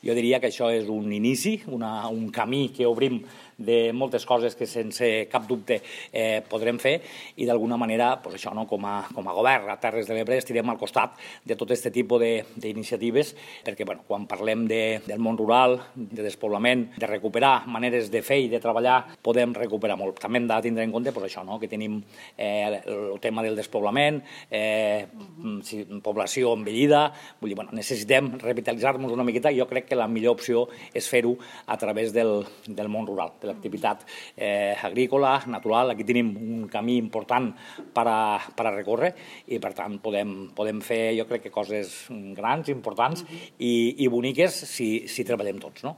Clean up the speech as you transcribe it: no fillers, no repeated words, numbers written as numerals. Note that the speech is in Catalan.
Jo diria que això és un inici, un camí que obrim de moltes coses que sense cap dubte podrem fer i d'alguna manera, això, com a govern a Terres de l'Ebre estirem al costat de tot aquest tipus d'iniciatives perquè quan parlem del món rural, de despoblament, de recuperar maneres de fer i de treballar, podem recuperar molt. També hem de tindre en compte això, que tenim el tema del despoblament, població envellida, vull dir, necessitem revitalitzar-nos una miqueta i jo crec que la millor opció és fer-ho a través del món rural, de l'activitat agrícola, natural. Aquí tenim un camí important per a recórrer i, per tant, podem fer, jo crec que coses grans, importants i boniques si treballem tots, no?